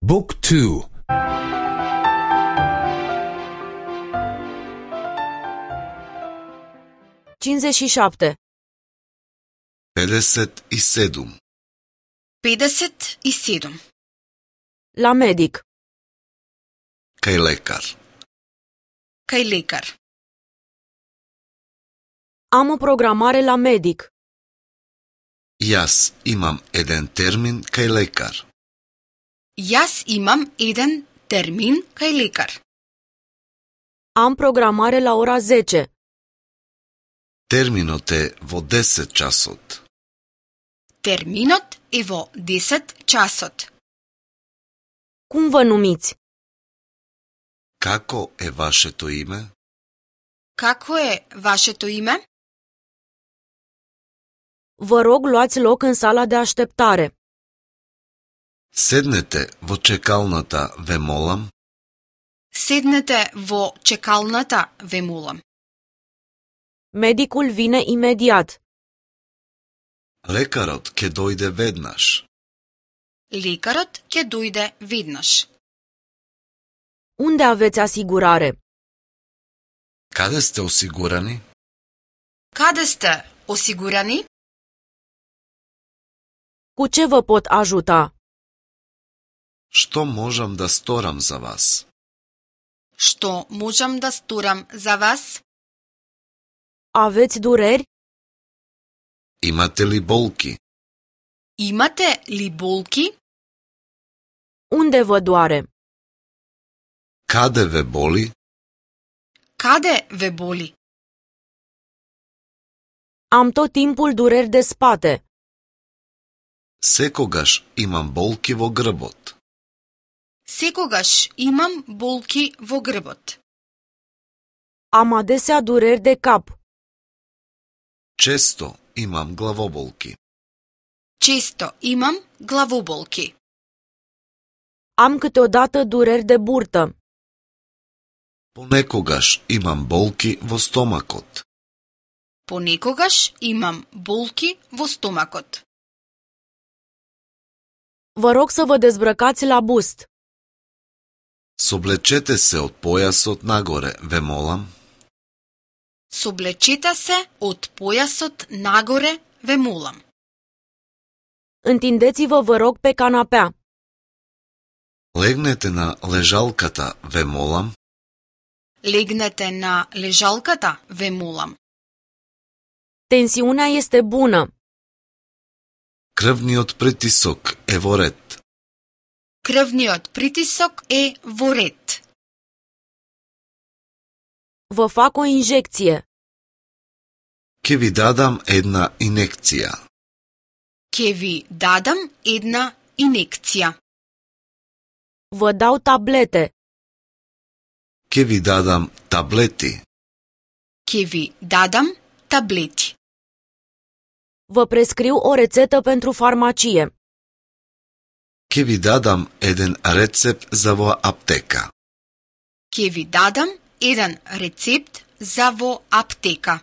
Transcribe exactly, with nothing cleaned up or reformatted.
Book two. cincizeci și șapte. pedeset и седум. pedeset и седум. La medic. Кај лекар. Кај лекар. Am o programare la medic. Јас имам еден термин кај лекар. Јас имам еден термин кај лекар. Am programare la ora zece. Терминот е во десет часот. Терминот е во десет часот. Cum vă numiți? Како е вашето име? Како е вашето име? Vă rog, luați loc în sala de așteptare. Седнете во чекалната, ве молам. Седнете во чекалната, ве молам. Medicul vine imediat. Лекарот ќе дојде веднаш. Лекарот ќе дојде веднаш. Unde aveți asigurare? Каде сте осигурани? Каде сте осигурани? Cu ce vă pot ajuta? Што можам да сторам за вас? Што можам да сторам за вас? Aveți dureri? Имате ли болки? Имате ли болки? Unde vă doare? Каде ве боли? Каде ве боли? Am tot timpul dureri de spate. Секогаш имам болки во грбот. Секогаш имам болки во грбот. Am adesea dureri de cap. Често имам главоболки. Често имам главоболки. Am câteodată dureri de burtă. Понекогаш имам болки во стомакот. Понекогаш имам болки во стомакот. Vă rog să vă dezbrăcați la bust. Соблечете се од појасот нагоре, ве молам. Соблечете се од појасот нагоре, ве молам. Întindeți-vă, vă rog, pe canapea. Легнете на лежалката, ве молам. Легнете на лежалката, ве молам. Tensiunea este bună. Крвниот притисок е во ред. Крвниот притисок е во ред. Vă fac o injecție. Ке ви дадам една инекција. Ке ви дадам една инекција. Vă dau tablete. Ке ви дадам таблети. Ке ви дадам таблети. Vă prescriu o rețetă pentru farmacie. Ке ви дадам еден рецепт за во аптека. Ке ви дадам еден рецепт за во аптека.